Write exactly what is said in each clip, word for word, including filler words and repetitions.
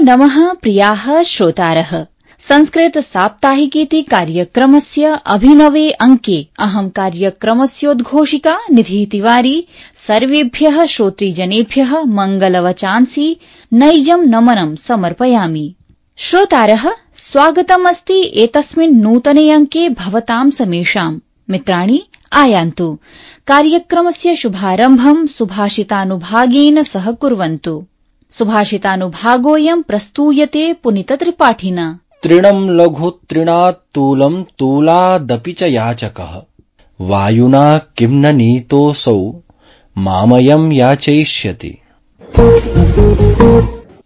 नमः प्रियाः श्रोतारः। संस्कृत साप्ताहिकेति कार्यक्रमस्य अभिनवे अंके अहं कार्यक्रमस्योद्घोषिका निधि तिवारी सर्वेभ्यः श्रोतृजनेभ्यः मङ्गलवचांसि नैजं नमनं समर्पयामि। श्रोतारः, स्वागतमस्ति एतस्मिन् नूतने अंके भवतां समेषां। मित्राणि, आयान्तु कार्यक्रमस्य शुभारम्भं सुभाषितानुभागेन सह कुर्वन्तु। सुभाषितानुभागोऽयं प्रस्तूयते पुनीतत्रिपाठिना। तृणं लघु तृणात् तूलं तूलादपि च याचकः, वायुना किं न नीतोऽसौ मामयं याचयिष्यति।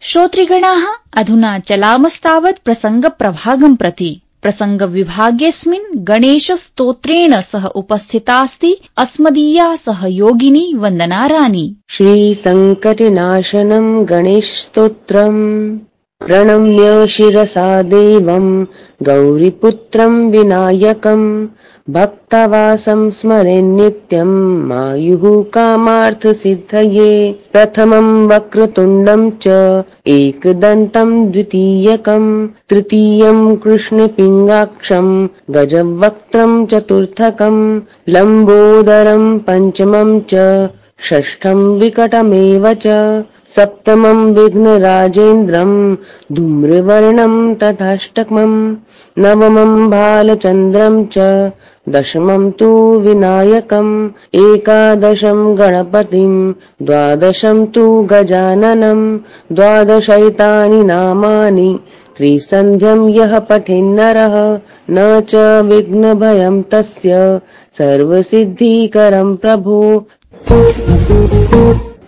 श्रोतृगणाः, अधुना चलामस्तावत् प्रसङ्गप्रभागं प्रति। प्रसङ्गविभागेऽस्मिन् गणेशस्तोत्रेण सह उपस्थितास्ति अस्मदीया सहयोगिनी वन्दना रानी। श्रीसङ्कटनाशनं गणेशस्तोत्रम् प्रणम्य शिरसा देवं गौरीपुत्रं विनायकं भक्तवासं स्मरे नित्यं मायुः कामार्थसिद्धये। प्रथमं वक्रतुण्डं च एकदन्तं द्वितीयकं तृतीयं कृष्णपिङ्गाक्षं गजवक्त्रं चतुर्थकं लम्बोदरं पञ्चमं च षष्ठं विकटमेव च सप्तमं विघ्नराजेन्द्रं धूम्रवर्णं तथाष्टकं नवमं बालचन्द्रं च दशमं तु विनायकम् एकादशं गणपतिं द्वादशं तु गजाननं द्वादशैतानि नामानि त्रिसन्ध्यं यः पठेन्नरः न च विघ्नभयं तस्य सर्वसिद्धिकरं प्रभो।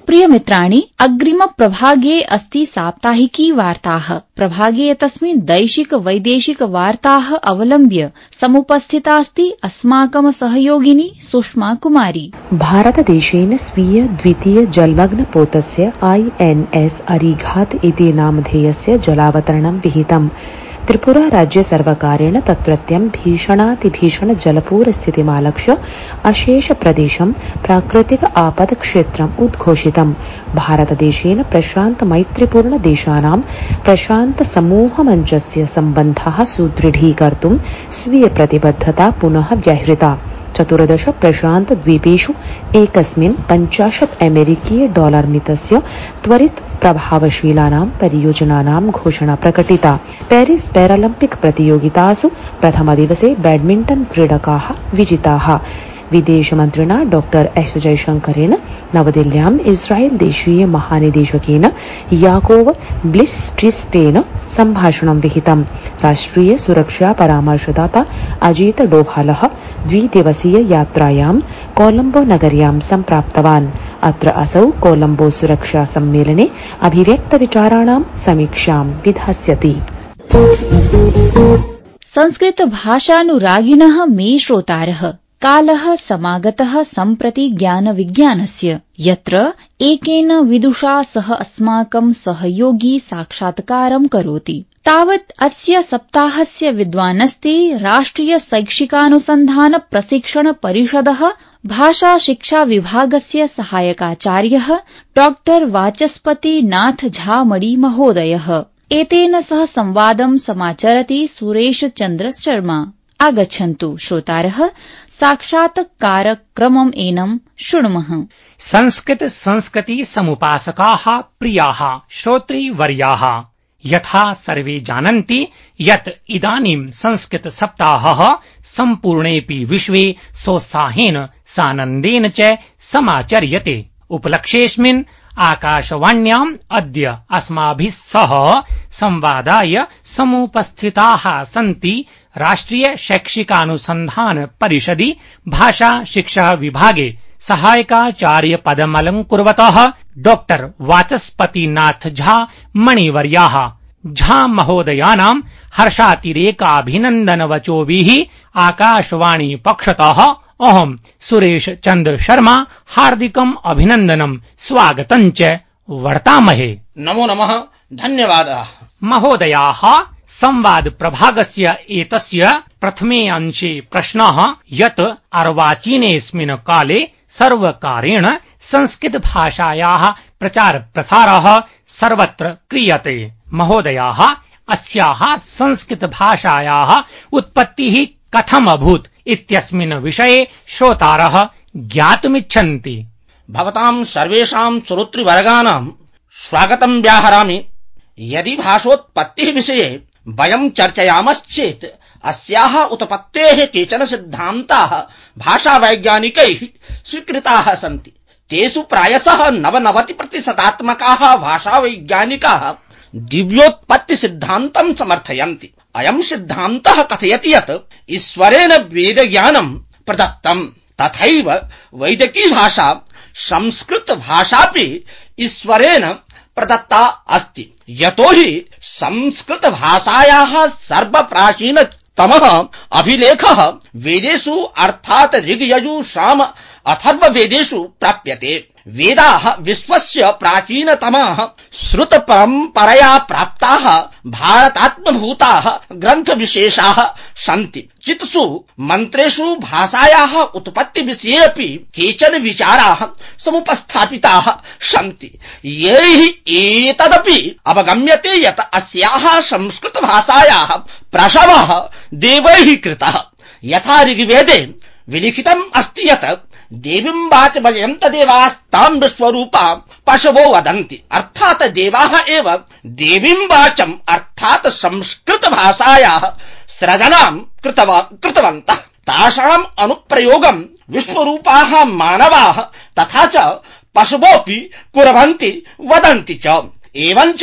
प्रिय मित्राणि, अग्रिम प्रभागे अस्ति साप्ताहिकी वार्ताः। प्रभागे एतस्मिन् दैशिक वैदेशिक वार्ताः अवलम्ब्य समुपस्थितास्ति अस्माकं सहयोगिनी सुषमा कुमारी। भारतदेशेन स्वीय द्वितीय जलमग्नपोतस्य आई एन एस अरिघात इति नामधेयस्य जलावतरणं विहितम्। त्रिपुरा राज्य सर्वकारेण तत्रत्यं भीषणातिभीषण जलपूरस्थितिमालक्ष्य अशेष प्रदेशं प्राकृतिक आपद क्षेत्रम् उद्घोषितम्। भारतदेशेन प्रशान्त मैत्रीपूर्ण देशानां प्रशान्त समूह मञ्चस्य सम्बन्धाः सुदृढीकर्तुं स्वीय प्रतिबद्धता पुनः व्याहृता। चतुर्दश प्रशान्त द्वीपेषु एकस्मिन् पञ्चाशत् अमेरिकीय डॉलर मितस्य त्वरित प्रभावशीलानां परियोजनानां घोषणा प्रकटिता। पेरिस पैरालम्पिक प्रतियोगितासु प्रथमदिवसे बैडमिण्टन क्रीडकाः विजिताः। विदेशमन्त्रिणा डॉक्टर एस जयशंकरेण नवदिल्ल्याम् इस्राएल देशीय महानिदेशकेन याकोव ब्लिस्ट्रिस्टेन सम्भाषणं विहितम्। राष्ट्रिय सुरक्षा परामर्शदाता अजीत डोभालः द्विदिवसीय यात्रायां कोलंबो नगर्यां सम्प्राप्तवान्। अत्र असौ कोलंबो सुरक्षा सम्मेलने अभिव्यक्तविचाराणां समीक्षां विधास्यति। संस्कृत भाषानुरागिणः मे श्रोतारः, कालः समागतः सम्प्रति ज्ञान विज्ञानस्य, यत्र एकेन विदुषा सह अस्माकं सहयोगी साक्षात्कारं करोति। तावत् अस्य सप्ताहस्य विद्वानस्ति राष्ट्रिय शैक्षिकानुसन्धान प्रशिक्षण परिषदः भाषा शिक्षा विभागस्य सहायकाचार्यः डॉक्टर वाचस्पति नाथ झा मणि महोदयः। एतेन सह संवादं समाचरति सुरेश चन्द्र शर्मा। आगच्छन्तु श्रोतारः, साक्षात्कारक्रमम् एनं शृणुमः। संस्कृत संस्कृति समुपासकाः प्रियाः श्रोतृवर्याः, यथा सर्वे जानन्ति यत् इदानीं संस्कृत सप्ताहः सम्पूर्णेऽपि विश्वे सोत्साहेन सानन्देन च समाचर्यते। उपलक्ष्येऽस्मिन् आकाशवाण्याम् अद्य अस्माभिः सह संवादाय समुपस्थिताः सन्ति राष्ट्रिय शैक्षिकानुसन्धान परिषदि भाषा शिक्षा विभागे सहायकाचार्य पदमलङ्कुर्वतः डॉक्टर वाचस्पतिनाथ झा मणिवर्याः। झा महोदयानां हर्षातिरेकाभिनन्दनवचोभिः आकाशवाणी पक्षतः अहं सुरेश चन्द्र शर्मा हार्दिकम् अभिनन्दनं स्वागतं च वर्तामहे। नमो नमः, धन्यवादाः। महोदयाः, संवाद प्रभागस्य एतस्य प्रथमे अंशे प्रश्नः यत् अर्वाचीनेऽस्मिन् काले सर्वकारेण संस्कृत भाषायाः प्रचार प्रसारः सर्वत्र क्रियते। महोदयाः, अस्याः संस्कृतभाषायाः उत्पत्तिः कथम् अभूत् इत्यस्मिन् विषये श्रोतारः ज्ञातुमिच्छन्ति। भवतां सर्वेषां श्रोतृवर्गाणां स्वागतं व्याहरामि। यदि भाषोत्पत्तिः विषये वयं चर्चयामश्चेत् अस्याः उत्पत्तेः केचन सिद्धान्ताः भाषावैज्ञानिकैः स्वीकृताः सन्ति। तेषु प्रायशः नवनवतिप्रतिशतात्मकाः भाषावैज्ञानिकाः दिव्योत्पत्तिसिद्धान्तं समर्थयन्ति। अयं सिद्धान्तः कथयति यत् ईश्वरेण वेदज्ञानं प्रदत्तम्, तथैव वैदिकी भाषा संस्कृतभाषापि ईश्वरेण प्रदत्ता अस्ति। यतोहि संस्कृतभाषायाः सर्वप्राचीनतमः अभिलेखः वेदेषु अर्थात् ऋग्यजुः साम अथर्ववेदेषु प्राप्यते। वेदाः विश्वस्य प्राचीनतमाः श्रुतपरम्परया प्राप्ताः भारतात्मभूताः ग्रन्थविशेषाः सन्ति। चित्सु मन्त्रेषु भाषायाः उत्पत्तिविषये अपि केचन विचाराः समुपस्थापिताः सन्ति। यैः एतदपि अवगम्यते यत् अस्याः संस्कृतभाषायाः प्रसवः देवैः कृतः। यथा ऋग्वेदे विलिखितम् अस्ति यत् देवीं वाचमयं तदेवास्तां विश्वरूपा पशवो वदन्ति, अर्थात देवाः एव देवीं वाचम् अर्थात संस्कृत भाषायाः सृजनां कृतवन्तः। तासाम् अनुप्रयोगं विश्वरूपाः मानवाः तथा च पशवोऽपि कुर्वन्ति वदन्ति च। एवञ्च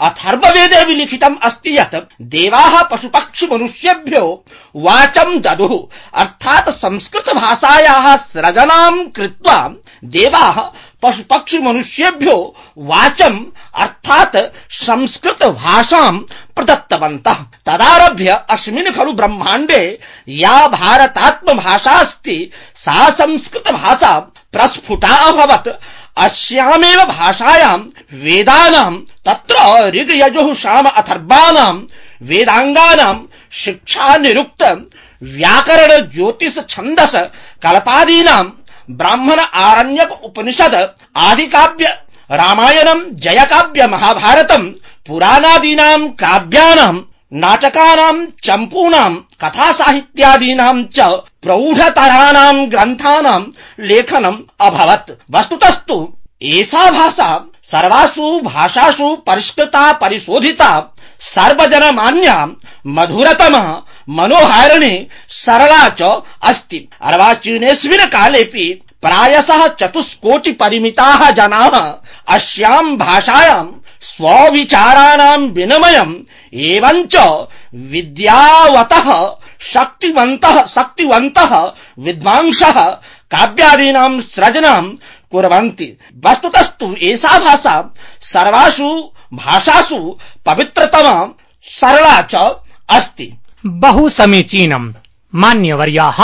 अथर्ववेदे विलिखितम् अस्ति यत् देवाः पशुपक्षि मनुष्येभ्यो वाचं ददुः, अर्थात संस्कृत भाषायाः सृजनां कृत्वा देवाः पशुपक्षि मनुष्येभ्यो वाचं अर्थात संस्कृत भाषां प्रदत्तवन्तः। तदारभ्य अस्मिन् खलु ब्रह्माण्डे या भारतात्म भाषा अस्ति सा संस्कृत भाषा प्रस्फुटा अभवत्। अस्यामेव भाषायां वेदानां तत्र ऋग्यजुः साम अथर्वाणां वेदांगानां शिक्षा निरुक्त व्याकरण ज्योतिष छन्दस कल्पादीनां ब्राह्मण आरण्यक उपनिषद आदि काव्य रामायणं जयकाव्य महाभारतं पुराणादीनां काव्यानां नाटकानां चम्पूनां कथा साहित्यादीनां च प्रौढतराणां ग्रन्थानां लेखनम् अभवत्। वस्तुतस्तु एषा भाषा सर्वासु भाषासु परिष्कृता परिशोधिता सर्वजनमान्या मधुरतमा मनोहारिणी सरला च अस्ति। अर्वाचीनेऽस्मिन् कालेऽपि प्रायशः चतुष्कोटि परिमिताः जनाः अस्यां भाषायां स्वविचाराणां विनिमयम् एवञ्च विद्यावतः शक्तिवन्तः शक्तिवन्तः विद्वांसः काव्यादीनां सृजनां कुर्वन्ति। वस्तुतस्तु एषा भाषा सर्वासु भाषासु पवित्रतमा सरला च अस्ति। बहु समीचीनम्। मान्यवर्याः,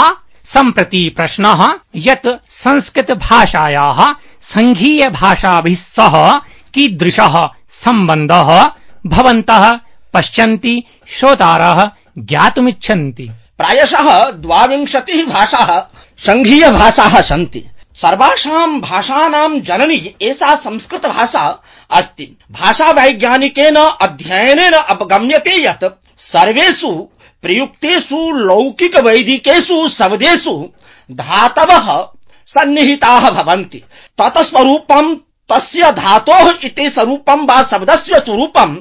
सम्प्रति प्रश्नः यत् संस्कृत भाषायाः संघीय भाषाभिः सह कीदृशः सम्बन्धः भवन्तः पश्यन्ति श्रोतारः ज्ञातुमिच्छन्ति। प्रायशः द्वाविंशतिः भाषाः संघीय भाषाः सन्ति। सर्वासां भाषानां जननी एषा संस्कृत भाषा अस्ति। भाषावैज्ञानिकेन अध्ययनेन अवगम्यते यत् सर्वेषु प्रयुक्तेषु लौकिक वैदिकेषु शब्देषु धातवः सन्निहिताः भवन्ति। तत्स्वरूपं तस्य धातोः इति स्वरूपं वा शब्दस्य स्वरूपं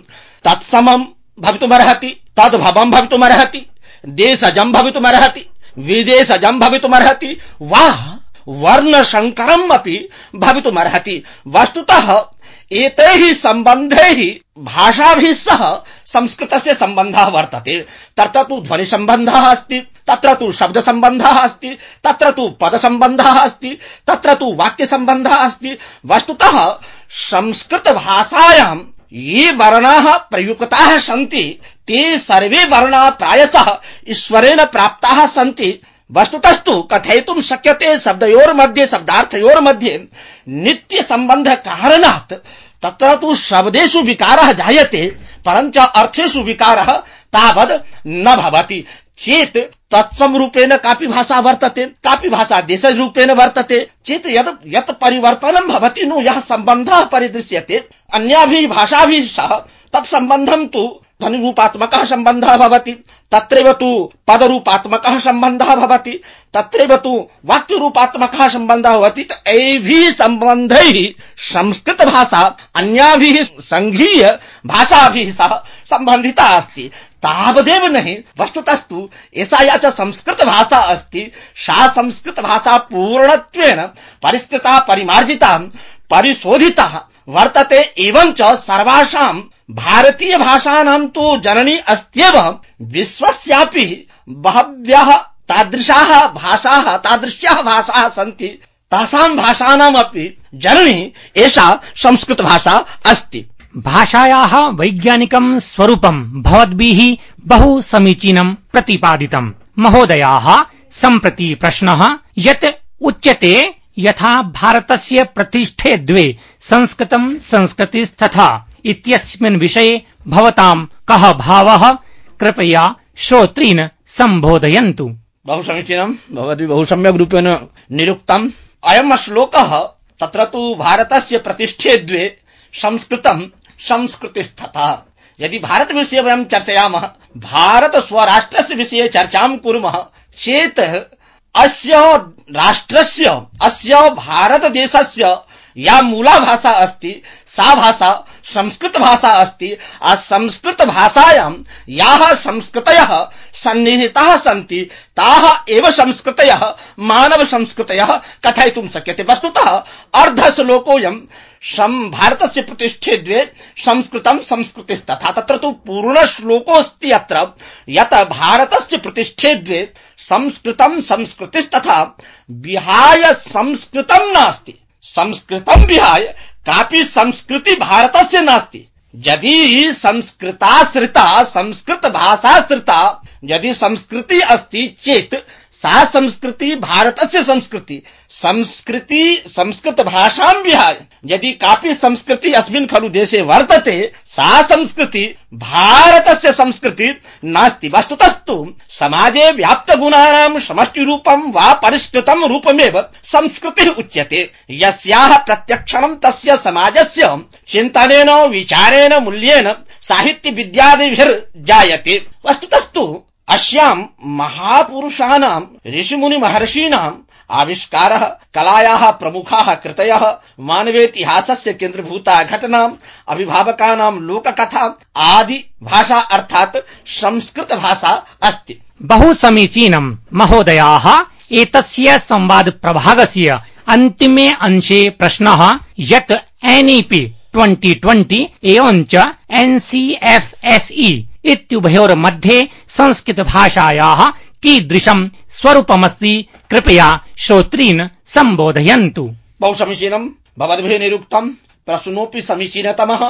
तत्समं भवितुमर्हति, तद्भवं भवितुमर्हति, देशजं भवितुमर्हति, विदेशजं भवितुमर्हति वा वर्णशङ्करम् अपि भवितुमर्हति। वस्तुतः एतैः सम्बन्धैः भाषाभिः सह संस्कृतस्य सम्बन्धः वर्तते। तत्र तु ध्वनिसम्बन्धः अस्ति, तत्र तु शब्दसम्बन्धः अस्ति, तत्र तु पदसम्बन्धः अस्ति, तत्र तु वाक्यसम्बन्धः अस्ति। वस्तुतः संस्कृतभाषायां ये वर्णाः प्रयुक्ताः सन्ति ते सर्वे वर्णाः प्रायशः ईश्वरेण प्राप्ताः सन्ति। वस्तुतस्तु कथयितुं शक्यते शब्दयोर्मध्ये शब्दार्थयोर्मध्ये नित्य सम्बन्ध कारणात् तत्र तु शब्देषु विकारः जायते परञ्च अर्थेषु विकारः तावद् न भवति चेत् तत्समरूपेण कापि भाषा वर्तते, कापि भाषा देशरूपेण वर्तते चेत् यत् यत् परिवर्तनं भवति नु यः सम्बन्धः परिदृश्यते अन्याभिः भाषाभिः सह तत्सम्बन्धं तु ध्वनिरूपात्मकः सम्बन्धः भवति, तत्रैव तु पदरूपात्मकः सम्बन्धः भवति, तत्रैव तु वाक्यरूपात्मकः सम्बन्धः भवति। एभिः सम्बन्धैः संस्कृत भाषा अन्याभिः संघीय भाषाभिः सह सम्बन्धिता अस्ति। तावदेव नहीं, वस्तुतस्तु एषा या च संस्कृत भाषा अस्ति, सा संस्कृत भाषा पूर्णत्वेन परिष्कृता, परिमार्जिता, परिशोधिता वर्तते। एवं च सर्वासां भारतीय भाषाणां तु जननी अस्त्येव। विश्वस्यापि बहव्यः तादृशाः भाषाः, तादृश्याः भाषाः सन्ति, तासां भाषाणामपि जननी एषा संस्कृत भाषा अस्ति। भाषायाः वैज्ञानिकं स्वरूपं भवद्भिः बहु समीचीनं प्रतिपादितम्। महोदयाः, सम्प्रति प्रश्नः यत् उच्यते यथा भारतस्य प्रतिष्ठे द्वे संस्कृतं संस्कृतिस्तथा इत्यस्मिन् विषये भवतां कः भावः? कृपया श्रोतॄन् सम्बोधयन्तु। बहु समीचीनं, भवद्भिः बहु सम्यक् रूपेण निरुक्तम्। अयं श्लोकः तत्र तु भारतस्य प्रतिष्ठे द्वे संस्कृतं संस्कृतिस्तथा। यदि भारत विषये वयं चर्चयामः, भारत स्वराष्ट्रस्य विषये चर्चां कुर्मः चेत् अस्य राष्ट्रस्य, अस्य भारतदेशस्य या मूला भाषा अस्ति सा भाषा संस्कृत भाषा अस्ति। आ संस्कृत भाषायां याः संस्कृतयः सन्निहिताः सन्ति ताः एव संस्कृतयः मानव संस्कृतयः कथयितुं शक्यते। वस्तुतः अर्धश्लोकोऽयं भारतस्य प्रतिष्ठे द्वे संस्कृतं संस्कृतिस्तथा। तत्र तु पूर्णश्लोकोऽस्ति अत्र यत् भारतस्य प्रतिष्ठे द्वे संस्कृतं संस्कृतिस्तथा विहाय संस्कृतं नास्ति। संस्कृतं विहाय कापि संस्कृति भारतस्य नास्ति। यदि संस्कृताश्रिता, संस्कृत भाषाश्रिता यदि संस्कृति अस्ति चेत् सा संस्कृति भारतस्य संस्कृति। संस्कृति संस्कृत भाषां विहाय यदि कापि संस्कृति अस्मिन् खलु देशे वर्तते सा संस्कृति भारतस्य संस्कृति नास्ति। वस्तुतस्तु समाजे व्याप्तगुणानां समष्टिरूपं वा परिष्कृतं रूपमेव संस्कृतिः उच्यते। यस्याः प्रत्यक्षणं तस्य समाजस्य चिन्तनेन, विचारेण, मूल्येन, साहित्य विद्यादिभिर्जायते। वस्तुतस्तु अस्यां महापुरुषाणां, ऋषिमुनि महर्षीणाम् आविष्कारः, कलायाः प्रमुखाः कृतयः, मानवेतिहासस्य केन्द्रभूता घटना, अभिभावकानां लोककथा आदि भाषा अर्थात् संस्कृत भाषा अस्ति। बहु समीचीनं महोदयाः। एतस्य संवाद प्रभागस्य अन्तिमे अंशे प्रश्नः यत् N E P twenty twenty एवं च N C F S E इत्युभयोर्मध्ये संस्कृत भाषायाः कीदृशं स्वरूपमस्ति? कृपया श्रोतॄन् सम्बोधयन्तु। बहु समीचीनं, भवद्भिः निरुक्तं। प्रश्नोऽपि समीचीनतमः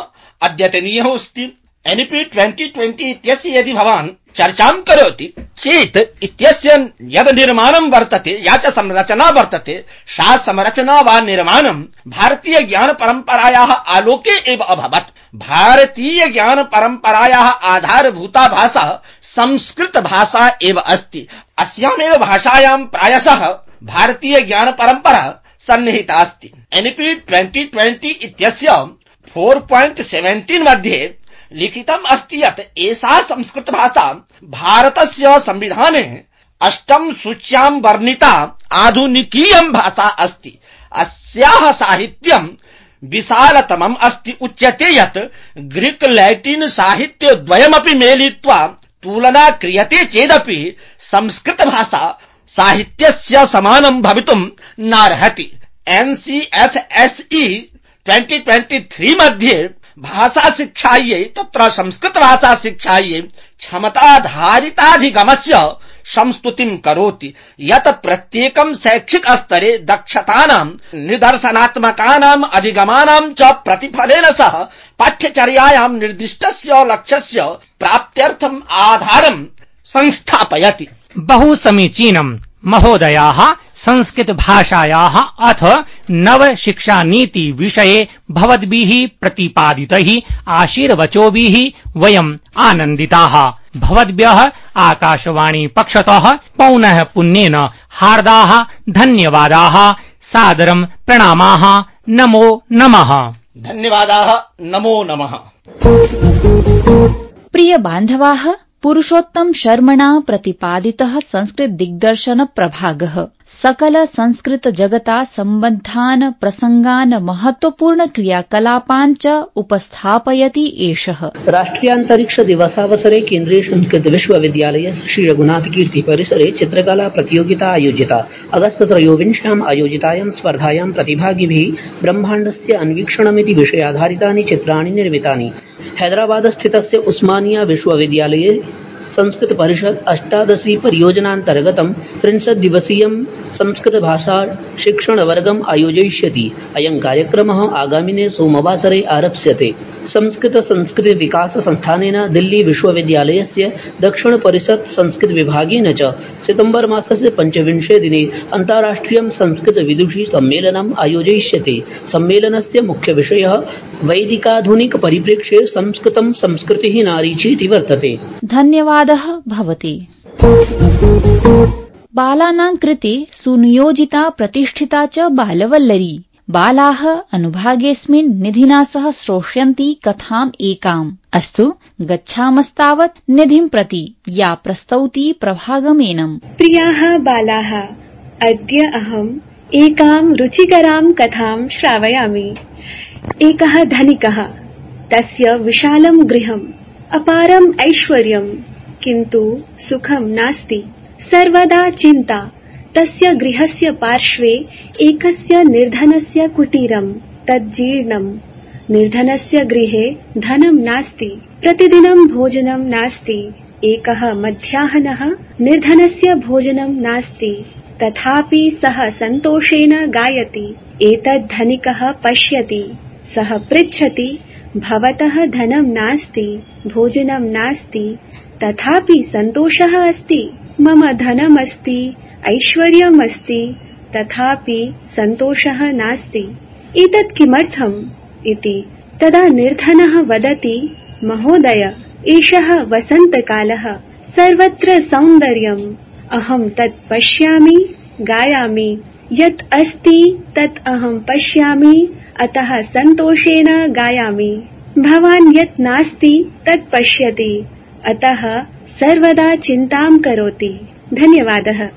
अद्यतनीयः अस्ति। N E P twenty twenty इत्यस्य यदि भवान् चर्चां करोति चेत् इत्यस्य यद् निर्माणं वर्तते, या च संरचना वर्तते, सा संरचना वा निर्माणं भारतीय ज्ञान परम्परायाः आलोके एव अभवत्। भारतीय ज्ञान परम्परायाः आधारभूता भाषा संस्कृत भाषा एव अस्ति। अस्यामेव भाषायां प्रायशः भारतीय ज्ञान परम्परा सन्निहिता अस्ति। N E P twenty twenty इत्यस्य फोर पॉइंट सेवेंटीन मध्ये लिखितम् अस्ति यत् एषा संस्कृत भाषा भारतस्य संविधाने अष्टम सूच्यां वर्णिता आधुनिकीयं भाषा अस्ति। अस्याः साहित्यं विशालतमम् अस्ति। उच्यते यत् ग्रीक लैटिन साहित्य द्वयमपि मेलित्वा तुलना क्रियते चेदपि संस्कृत भाषा साहित्यस्य समानं भवितुं नार्हति। N C F S E twenty twenty three मध्ये भाषा शिक्षायै, तत्र संस्कृत भाषा शिक्षायै क्षमताधारिताधिगमस्य संस्तुतिं करोति यत् प्रत्येकं शैक्षिक स्तरे दक्षतानां, निदर्शनात्मकानाम् अधिगमानां च प्रतिफलेन सह पाठ्यचर्यायां निर्दिष्टस्य लक्ष्यस्य प्राप्त्यर्थम् आधारं संस्थापयति। बहु समीचीनं महोदयाः। संस्कृत भाषायाः अथ नव शिक्षा नीति विषये भवद्भिः प्रतिपादितैः आशीर्वचोभिः वयम् आनन्दिताः। भवद्भ्यः आकाशवाणी पक्षतः पौनः पुन्येन हार्दाः धन्यवादाः, सादरं प्रणामाः। नमो नमः। धन्यवादाः। नमो नमः। प्रिय बान्धवाः, पुरुषोत्तम शर्मणा प्रतिपादितः संस्कृत दिग्दर्शन प्रभागः सकल संस्कृत जगता सम्बद्धान् प्रसंगान् महत्वपूर्ण क्रियाकलापान् च उपस्थापयति एषः। राष्ट्रियान्तरिक्ष दिवसावसरे केन्द्रीय संस्कृत विश्वविद्यालये श्री रघुनाथ कीर्ति परिसरे चित्रकला प्रतियोगिता आयोजिता। अगस्त त्रयोविंश्याम् आयोजितायां स्पर्धायां प्रतिभागिभिः ब्रह्माण्डस्य अन्वीक्षणमिति विषयाधारितानि चित्राणि निर्मितानि। हैदराबादस्थितस्य उस्मानिया विश्वविद्यालये संस्कृत परिषद अष्टादशी परियोजनान्तर्गतं त्रिंशत् दिवसीयं संस्कृत भाषा शिक्षण वर्गम् आयोजयिष्यति। अयं कार्यक्रमः आगामिने सोमवासरे आरप्स्यते। संस्कृत संस्कृति विकास संस्थानेन दिल्ली विश्वविद्यालयस्य दक्षिण परिषद संस्कृत विभागेन च सितम्बर मासस्य पञ्चविंशे दिने अन्ताराष्ट्रियं संस्कृत विदुषी सम्मेलनम् आयोजयिष्यते। सम्मेलनस्य मुख्य विषयः वैदिकाधुनिक परिप्रेक्ष्ये संस्कृतं संस्कृतिः नारी चेति वर्तते। धन्यवादः भवते। बालानां कृते सुनियोजिता प्रतिष्ठिता च बालवल्लरी। बालाः अनुभागेऽस्मिन् निधिना सह श्रोष्यन्ति कथाम् एकाम्। अस्तु, गच्छामस्तावत् निधिं प्रति, या प्रस्तौति प्रभागमेनम्। प्रियाः बालाः, अद्य अहम् एकां रुचिकरां कथां श्रावयामि। एकः धनिकः, तस्य विशालं गृहम्, अपारम् ऐश्वर्यम्, किन्तु सुखं नास्ति। सर्वदा चिन्ता। तस्य गृहस्य पार्श्वे एकस्य निर्धनस्य कुटीरम्, तज्जीर्णम्। निर्धनस्य गृहे धनं नास्ति, प्रतिदिनं भोजनं नास्ति। एकः मध्याह्नः निर्धनस्य भोजनं नास्ति, तथापि सः सन्तोषेण गायति। एतद् धनिकः पश्यति। सः पृच्छति, भवतः धनं नास्ति, भोजनं नास्ति, तथापि सन्तोषः अस्ति। मम धनमस्ति, ऐश्वर्यमस्ति, तथापि सन्तोषः नास्ति। एतत् किमर्थम् इति। तदा निर्धनः वदति, महोदय, एषः वसन्तकालः, सर्वत्र सौन्दर्यम्। अहं तत् पश्यामि, गायामि। यत् अस्ति तत् अहं पश्यामि, अतः सन्तोषेण गायामि। भवान् यत् नास्ति तत् पश्यति, अतः सर्वदा चिन्तां करोति। धन्यवादः।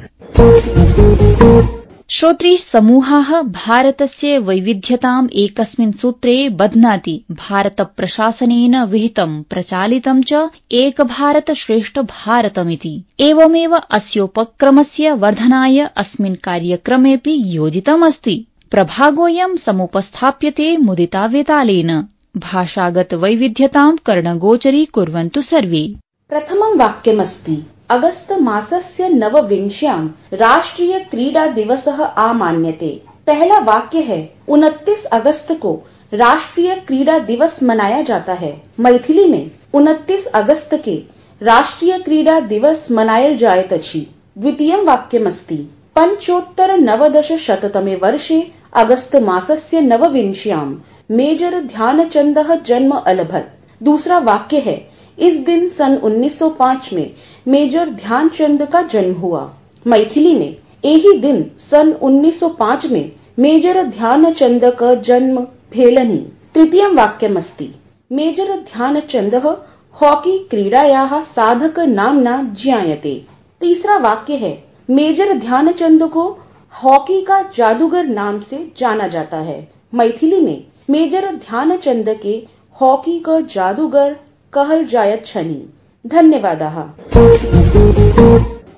श्रोत्री समूहाः भारतस्य वैविध्यताम् एकस्मिन् सूत्रे बध्नाति। भारत प्रशासनेन विहितं प्रचालितं च एक भारत श्रेष्ठ भारतमिति। एवमेव अस्योपक्रमस्य वर्धनाय अस्मिन् कार्यक्रमेऽपि योजितमस्ति। प्रभागोऽयं समुपस्थाप्यते मुदितावेतालेन। भाषागत वैविध्यतां कर्णगोचरी कुर्वन्तु सर्वे। प्रथमं वाक्यमस्ति, अगस्त मासस्य नवविंश्यां राष्ट्रीय क्रीडा दिवसः आमान्यते। पहला वाक्य है, उनतीस अगस्त को राष्ट्रीय क्रीडा दिवस मनाया जाता है। मैथिली में उनतीस अगस्त के राष्ट्रीय क्रीडा दिवस मनायल जायत अछि। द्वितीयं वाक्यमस्ति, पंचोत्तर नवदश शततमे वर्षे अगस्त मासस्य नवविंश्यां मेजर ध्यानचंदः जन्म अलभत। दूसरा वाक्य है, इस दिन सन उन्नीस सौ पाँच में मेजर ध्यानचंद का जन्म हुआ। मैथिली में यही दिन सन उन्नीस सौ पाँच में मेजर ध्यानचंद का जन्म भेलनि। तृतीयं वाक्यमस्ति, मेजर ध्यानचंदः हॉकी क्रीडायाः साधक नाम्ना ज्ञायते। तीसरा वाक्य है, मेजर ध्यानचंद को हॉकी का जादूगर नाम से जाना जाता है। मैथिली में मेजर ध्यानचंद के हॉकी का जादूगर कहल जायत छनि। धन्यवादाः।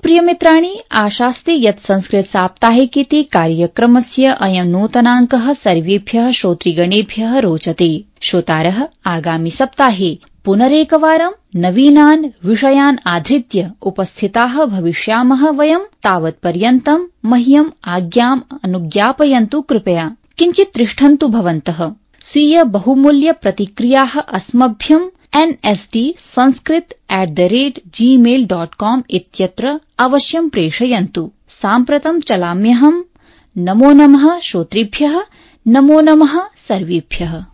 प्रियमित्राणि, आशास्ते यत् संस्कृत साप्ताहिकीति कार्यक्रमस्य अयं नूतनाङ्कः सर्वेभ्यः श्रोतृगणेभ्यः रोचते। श्रोतारः, आगामि सप्ताहे पुनरेकवारं नवीनान् विषयान् आधृत्य उपस्थिताः भविष्यामः वयं। तावत्पर्यन्तं मह्यम् आज्ञाम् अनुज्ञापयन्तु कृपया। किञ्चित् तिष्ठन्तु भवन्तः। स्वीय बहुमूल्य प्रतिक्रियाः अस्मभ्यम् N S D Sanskrit at the rate Gmail dot com इत्यत्र अवश्यं प्रेषयन्तु। साम्प्रतं चलाम्यहम्। नमो नमः श्रोतृभ्यः, नमो नमः सर्वेभ्यः।